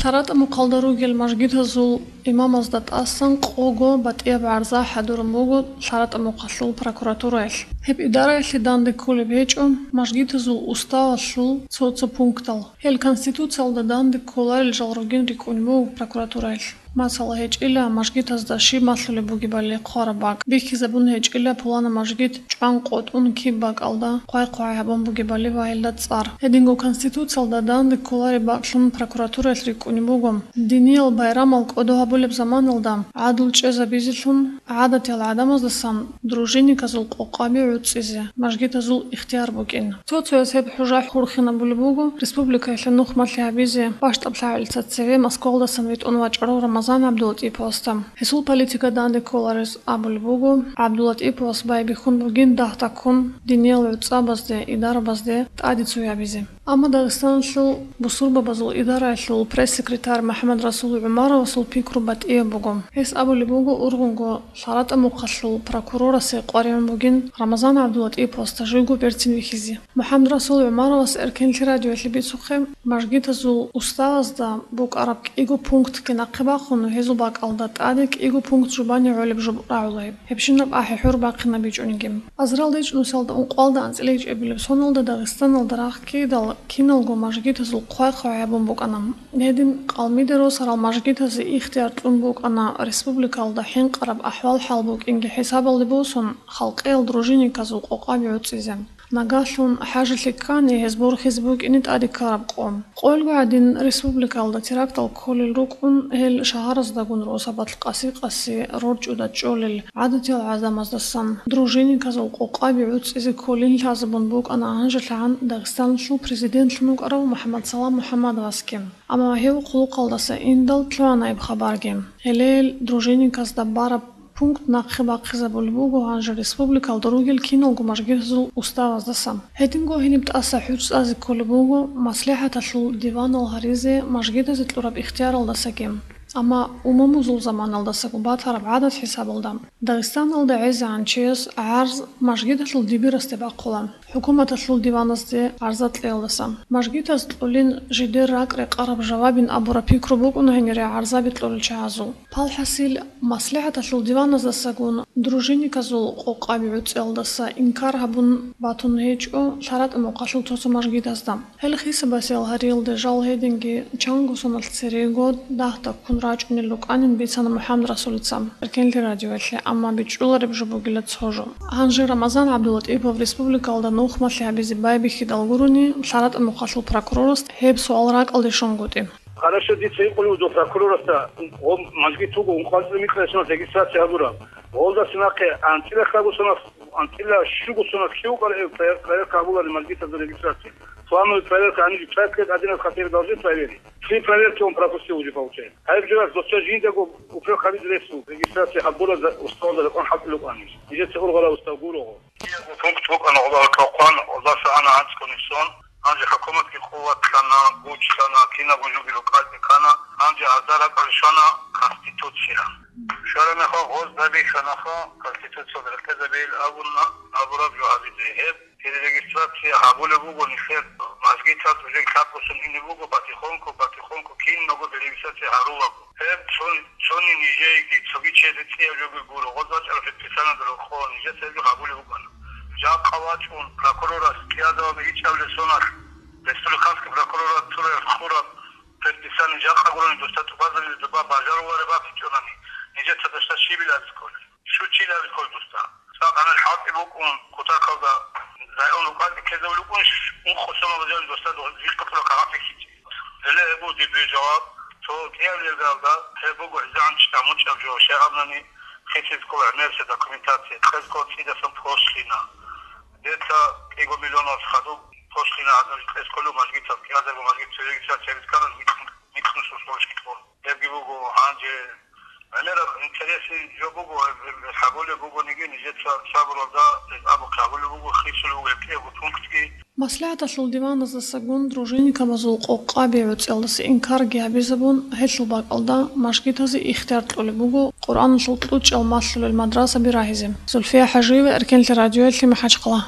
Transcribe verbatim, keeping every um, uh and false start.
ЛъаратӀа мухъалда ругел мажгитазул имамазда тӀасан къого батӀияб гӀарза хӀадурун буго ЛъаратӀа мухъалъул прокуратураялъ. Гьеб идараялъе данде кколеб гьечӀо мажгитазул уставалъул цо-цо пунктал. Гьел Конституциялда данде кколарел жал ругин рикӀкӀунеб буго прокуратураялъ. Масала, гьечӀила мажгитазда щиб малъулеб бугебали хъвараб бакӀ, бихьизабун гьечӀила пулана мажгит чӀван-къотӀун киб бакӀалда хъвай-хъвай гьабун бугебали ва гьелда цӀар. Гьединго Конституциялда данде кколареб бакӀлъун прокуратураялъ рикӀкӀунеб буго, диниял байрамал кӀодо гьабулеб заманалда гӀадлу чӀезабизелъун гӀадатиял гӀадамаздасан дружинниказул къокъаби гӀуцӀизе мажгитазул ихтияр букӀин. Цо-цояз гьеб хӀужа хурхинабулеб буго республикаялъе нухмалъи гьабизе бащдаб лъагӀелица цеве Москвалдасан витӀун вачӀарав Рамазан ГӀабдулатӀиповасда. Гьесул политика данде кколарез абулеб буго, ГӀабдулатӀиповас байбихьун бугин дагь-таккун диниял гӀуцӀабазде, идарабазде тӀаде цо гьабизе. Амма Дагъистаналъул бусурбабазул идараялъул пресс-секретарь МухӀаммадрасул ГӀумаровасул пикру батӀияб буго. Гьес абулеб буго ургъунго ЛъаратӀа мухъалъул прокурорасе къваригӀун бугин Рамазан ГӀабдулатӀиповасда живго берцин вихьизе. МухӀаммадрасул ГӀумаровас Эркенлъи радиоялъе бицухъе, мажгитазул уставазда букӀараб кӀиго пунктги нахъе бахун, гьезул бакӀалда тӀаде кӀиго пункт жубани гӀолеб жуб рагӀула гьеб. Гьебщинаб ахӀи-хӀур бахъинабичӀониги. Азарилда ичӀнусиялда ункъоялда анцӀила ичӀабилеб соналда Дагъистаналда рагъ ккидал киналго мажгитазул хъвай-хъвай гьабун букӀана. Гьедин къалмиде росарал мажгитазе ихтияр кьун букӀана республикалда хӀинкъараб ахӀвал-хӀал букӀинги хӀисабалде босун, халкъиял дружинниказул къокъаби гӀуцӀизе. Нагагьлъун хӀажалъи ккани, гьез борхизе букӀине тӀаде ккараб къо. Къойилго гӀадин республикалда терактал кколел рукӀун, гьел шагьараздагун росабалъ къаси-къаси рорчӀуда чӀолел гӀадатиял гӀадамаздасан дружинниказул къокъаби гӀуцӀизе кколин лъазабун букӀана гьанжелъагӀан Дагъистаналъул президентлъун вукӀарав МухӀаммадсалам МухӀаммадовасги. Амма гьев хъулухъалдаса индал лъугьана гьеб хабарги. Гьеле гьел дружинниказда бараб пункт нахъе бахъизабулеб буго гьанже республикалда ругел киналго мажгитазул уставаздаса. Гьединго гьениб тӀаса хӀуж цӀазе кколеб буго маслихӀаталъул диванал гьаризе мажгитазе кьураб ихтияралдасаги. Амма умумузул заманалдасаго батараб гӀадат хӀисабалда, Дагъистаналда гӀезегӀан чияс гӀарз мажгиталъул дибирасде бахъула, хӀукуматалъул диваназде гӀарза кьеялдаса. Мажгитаз кьолин жидер ракӀ-рекъараб жавабин абураб пикру букӀуна гьенире гӀарзаби кьолел чагӀазул. Палхасил, маслихӀаталъул диваназдасагун дружинниказул къокъаби гӀуцӀиялдаса инкар гьабун батун гьечӀо ЛъаратӀа мухъалъул цо-цо мажгитазда. Гьел хисабасел гьариялде жал гьединги чанго соналъ церего дагь-таккун рачӀунел рукӀанин бицана МухӀаммадрасулица Эркенлъи радиоялъе, амма бичӀчӀулареб жо бугила цо жо. Гьанже Рамазан ГӀабдулатӀипов республикалда нухмалъи гьабизе байбихьидал гурони, ЛъаратӀа мухъалъул прокурорас гьеб суал ракӀалде щунгутӀи. Хорошо, дица гьикъулев дов прокурорасда, гъо мажгит вуго ункъвазлъи микьа соналъ регистрация гьабураб. Гъолдаса нахъе анцӀила хабусанас, анцӀила щугусанас лъив проверка гьабуларин мажгитазда регистрация. Плановый проверка, они же пять лет один раз хотели должны проверить. Три проверки он пропустил уже, получается. Гьеб журас досда жиндаго упрек гьабизе ресу, регистрация гьабура за-, уставда рекъон хӀалтӀулукъани. Нижеца ургъала устав гурого. Киялго пункт букӀана гъолда рокъон, гъолдаса ана анцӀго нисон. Гьанже хӀукуматги къуват ккана, гуч ккана, кинабго жуги рукӀалде ккана. Гьанже гьазда ракӀалде щвана Конституция. Щвараб мехалъ гъоз байбихьанаха, Конституциялда рекъезабейил абуна, абураб жо гьабизе. Гьеб перерегистрация гьабулеб буго нилъер мажгитаз, уже лъабгосун ине буго, батихонко, батихонко кинабго перерегистрация гьарулаго. Гьеб цо-, цони нижееги, цоги чиясе цӀияб жоги гуро, гъоз бачӀараб предписаниеда рокъо нижеца гьеб жо гьабулеб букӀана. Жакъа вачӀун прокурорас кӀиазабаби ичӀабилеб соналъ, республиканский прокуратураялъ хураб предписание жакъа гурони досда тӀубазабизе доба бажарулареб бакӀичӀонани, нижеца досда щибил абизе кколеб? Щучил абизе кколеб досда? Цо гӀамал хӀалтӀи букӀун, кутакалда район рукъалде ккезабулеб букӀунищ, ункъо сомал бажарун досда духъе кагъат бихьичӀеб? Гьеле гьеб буго дир жаваб, цо кӀиабилеб жавабалда, гьеб буго гӀезегӀан чӀамучӀаб жо, щай гьабунани, хисизе ккола гӀемерисеб документация, кьезе ккола цӀидасан пошлина. Дица кӀиго миллионал хадуб пошлина гьадин кьезе кколев мажгитал, кӀиазарго мажгит регистрация гьабизе ккани микь-, микьнусул срочки кьун. Гьебги буго гьанже. ГӀемераб интересный жо буго, гьеб, гьеб гьабулеб бугониги, нижеца сабурлъа гьеб абухъе гьабулеб буго, хисулеб буго гьеб кӀиябго пунктги. МаслихӀаталъул диваназдасагун дружинникабазул къокъаби гӀуцӀиялдаса инкарги гьабизабун, гьелъул бакӀалда мажгитазе ихтияр кьолеб буго Къуръаналъул кьучӀал малъулел мадрасаби рагьизе. Зульфия ХӀажиева, Эркенлъи радиоялъе, МахӀачхъала.